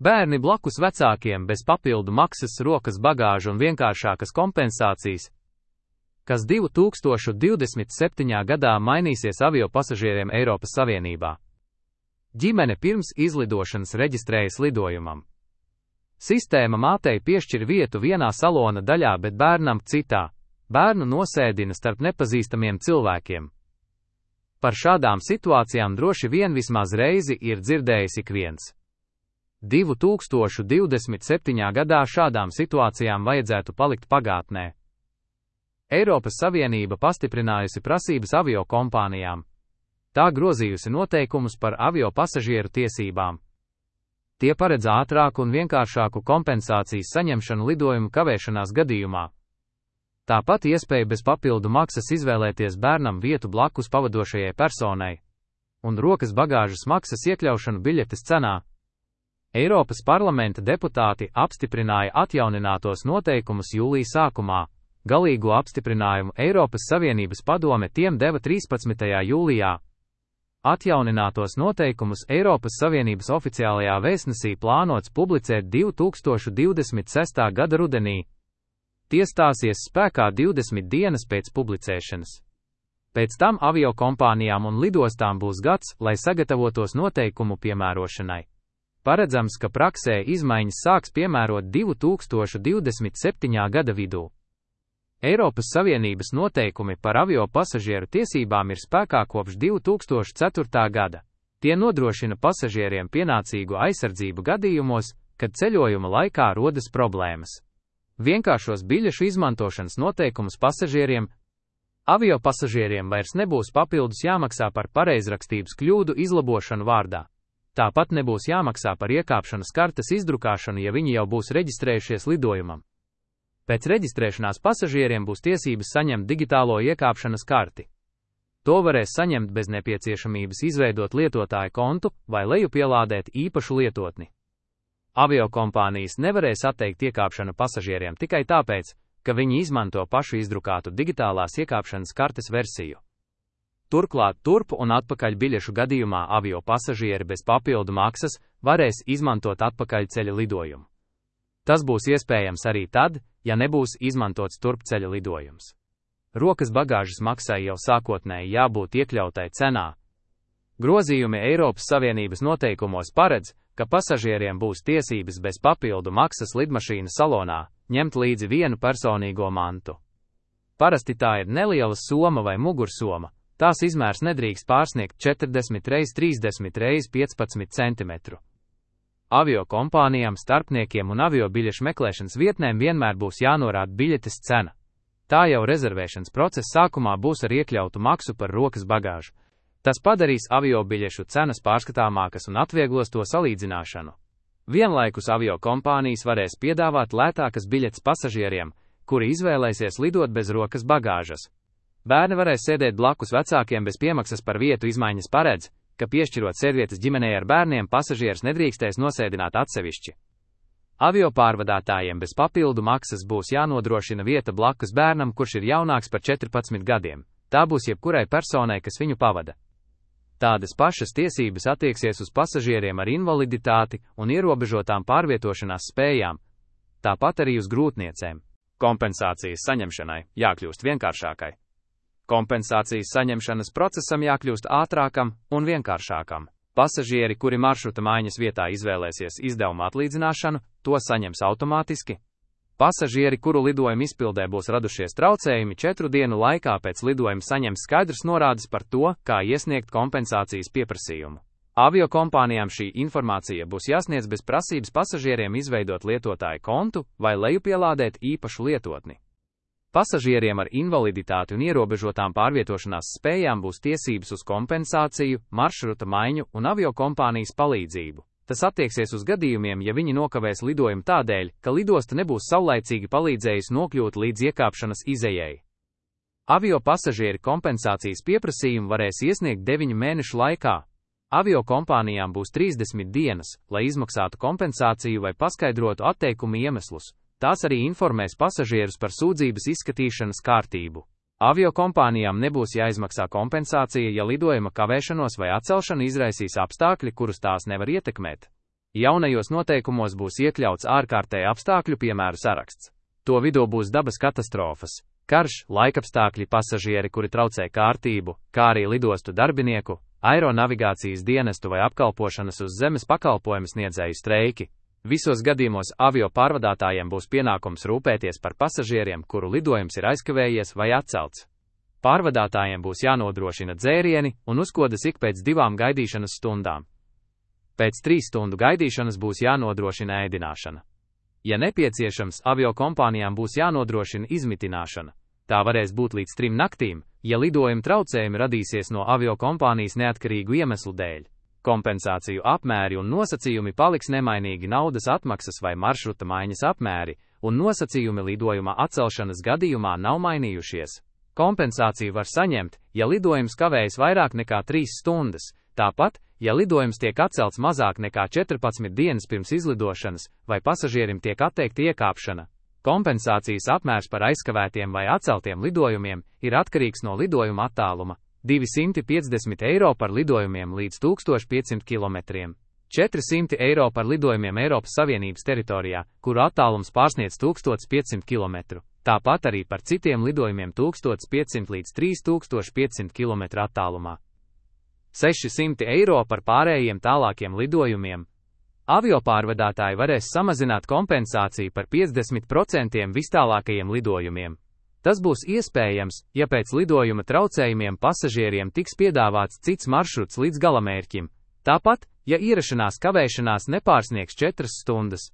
Bērni blakus vecākiem bez papildu maksas, rokas bagāža un vienkāršākas kompensācijas, kas 2027. gadā mainīsies avio pasažieriem Eiropas Savienībā. Ģimene pirms izlidošanas reģistrējas lidojumam. Sistēma mātei piešķir vietu vienā salona daļā, bet bērnam citā. Bērnu nosēdina starp nepazīstamiem cilvēkiem. Par šādām situācijām droši vien vismaz reizi ir dzirdējis ik viens. 2027. gadā šādām situācijām vajadzētu palikt pagātnē. Eiropas Savienība pastiprinājusi prasības avio kompānijām. Tā grozījusi noteikumus par avio pasažieru tiesībām. Tie paredz ātrāku un vienkāršāku kompensācijas saņemšanu lidojumu kavēšanās gadījumā. Tāpat iespēja bez papildu maksas izvēlēties bērnam vietu blakus pavadošajai personai un rokas bagāžas maksas iekļaušanu biļetes cenā. Eiropas parlamenta deputāti apstiprināja atjauninātos noteikumus jūlija sākumā. Galīgo apstiprinājumu Eiropas Savienības padome tiem deva 13. jūlijā. Atjauninātos noteikumus Eiropas Savienības oficiālajā vēstnesī plānots publicēt 2026. gada rudenī. Tie stāsies spēkā 20 dienas pēc publicēšanas. Pēc tam aviokompānijām un lidostām būs gads, lai sagatavotos noteikumu piemērošanai. Paredzams, ka praksē izmaiņas sāks piemērot 2027. gada vidū. Eiropas Savienības noteikumi par avio pasažieru tiesībām ir spēkā kopš 2004. gada. Tie nodrošina pasažieriem pienācīgu aizsardzību gadījumos, kad ceļojuma laikā rodas problēmas. Vienkāršos biļešu izmantošanas noteikumus pasažieriem. Avio pasažieriem vairs nebūs papildus jāmaksā par pareizrakstības kļūdu izlabošanu vārdā. Tāpat nebūs jāmaksā par iekāpšanas kartes izdrukāšanu, ja viņi jau būs reģistrējušies lidojumam. Pēc reģistrēšanās pasažieriem būs tiesības saņemt digitālo iekāpšanas karti. To varēs saņemt bez nepieciešamības izveidot lietotāja kontu vai lejupielādēt īpašu lietotni. Aviokompānijas nevarēs atteikt iekāpšanu pasažieriem tikai tāpēc, ka viņi izmanto pašu izdrukātu digitālās iekāpšanas kartes versiju. Turklāt turpu un atpakaļ biļešu gadījumā avio pasažieri bez papildu maksas varēs izmantot atpakaļceļa lidojumu. Tas būs iespējams arī tad, ja nebūs izmantots turpceļa lidojums. Rokas bagāžas maksai jau sākotnēji jābūt iekļautai cenā. Grozījumi Eiropas Savienības noteikumos paredz, ka pasažieriem būs tiesības bez papildu maksas lidmašīnas salonā ņemt līdzi vienu personīgo mantu. Parasti tā ir neliela soma vai mugursoma. Tās izmērs nedrīkst pārsniegt 40 x 30 x 15 cm. Avio kompānijām, starpniekiem un avio biļešu meklēšanas vietnēm vienmēr būs jānorāda biļetes cena. Tā jau rezervēšanas procesa sākumā būs ar iekļautu maksu par rokas bagāžu. Tas padarīs avio biļešu cenas pārskatāmākas un atvieglos to salīdzināšanu. Vienlaikus avio kompānijas varēs piedāvāt lētākas biļetes pasažieriem, kuri izvēlēsies lidot bez rokas bagāžas. Bērni varēs sēdēt blakus vecākiem bez piemaksas. Par vietu izmaiņas paredz, ka piešķirot sēdvietas ģimenei ar bērniem, pasažieris nedrīkstēs nosēdināt atsevišķi. Avio pārvadātājiem bez papildu maksas būs jānodrošina vieta blakus bērnam, kurš ir jaunāks par 14 gadiem. Tā būs jebkurai personai, kas viņu pavada. Tādas pašas tiesības attieksies uz pasažieriem ar invaliditāti un ierobežotām pārvietošanās spējām, tāpat arī uz grūtniecēm. Kompensācijas saņemšanai jākļūst vienkāršākai. Kompensācijas saņemšanas procesam jākļūst ātrākam un vienkāršākam. Pasažieri, kuri maršruta maiņas vietā izvēlēsies izdevuma atlīdzināšanu, to saņems automātiski. Pasažieri, kuru lidojuma izpildē būs radušies traucējumi 4 dienu laikā pēc lidojuma, saņems skaidrs norādes par to, kā iesniegt kompensācijas pieprasījumu. Avio kompānijām šī informācija būs jāsniedz bez prasības pasažieriem izveidot lietotāja kontu vai lejupielādēt īpašu lietotni. Pasažieriem ar invaliditāti un ierobežotām pārvietošanās spējām būs tiesības uz kompensāciju, maršruta maiņu un aviokompānijas palīdzību. Tas attieksies uz gadījumiem, ja viņi nokavēs lidojumu tādēļ, ka lidosta nebūs saulaicīgi palīdzējusi nokļūt līdz iekāpšanas izejai. Avio pasažieri kompensācijas pieprasījumu varēs iesniegt 9 mēnešu laikā. Avio kompānijām būs 30 dienas, lai izmaksātu kompensāciju vai paskaidrotu atteikumu iemeslus. Tās arī informēs pasažierus par sūdzības izskatīšanas kārtību. Avio kompānijām nebūs jāizmaksā kompensācija, ja lidojuma kavēšanos vai atcelšanu izraisīs apstākļi, kurus tās nevar ietekmēt. Jaunajos noteikumos būs iekļauts ārkārtēju apstākļu piemēru saraksts. To vidū būs dabas katastrofas, karš, laikapstākļi, pasažieri, kuri traucē kārtību, kā arī lidostu darbinieku, aeronavigācijas dienestu vai apkalpošanas uz zemes pakalpojumu sniedzēju streiki. Visos gadījumos avio pārvadātājiem būs pienākums rūpēties par pasažieriem, kuru lidojums ir aizkavējies vai atcelts. Pārvadātājiem būs jānodrošina dzērieni un uzkodas ik pēc 2 gaidīšanas stundām. Pēc 3 stundu gaidīšanas būs jānodrošina ēdināšana. Ja nepieciešams, avio kompānijām būs jānodrošina izmitināšana. Tā varēs būt līdz 3 naktīm, ja lidojuma traucējumi radīsies no avio kompānijas neatkarīgu iemeslu dēļ. Kompensāciju apmēri un nosacījumi paliks nemainīgi, naudas atmaksas vai maršruta maiņas apmēri un nosacījumi lidojuma atcelšanas gadījumā nav mainījušies. Kompensāciju var saņemt, ja lidojums kavējas vairāk nekā 3 stundas, tāpat, ja lidojums tiek atcelts mazāk nekā 14 dienas pirms izlidošanas vai pasažierim tiek atteikta iekāpšana. Kompensācijas apmērs par aizkavētiem vai atceltiem lidojumiem ir atkarīgs no lidojuma attāluma. 250 eiro par lidojumiem līdz 1500 km, 400 eiro par lidojumiem Eiropas Savienības teritorijā, kuru attālums pārsniedz 1500 km, tāpat arī par citiem lidojumiem 1500 līdz 3500 km attālumā. 600 eiro par pārējiem tālākiem lidojumiem. Aviopārvadātāji varēs samazināt kompensāciju par 50% vistālākajiem lidojumiem. Tas būs iespējams, ja pēc lidojuma traucējumiem pasažieriem tiks piedāvāts cits maršruts līdz galamērķim. Tāpat, ja ierašanās kavēšanās nepārsniegs 4 stundas.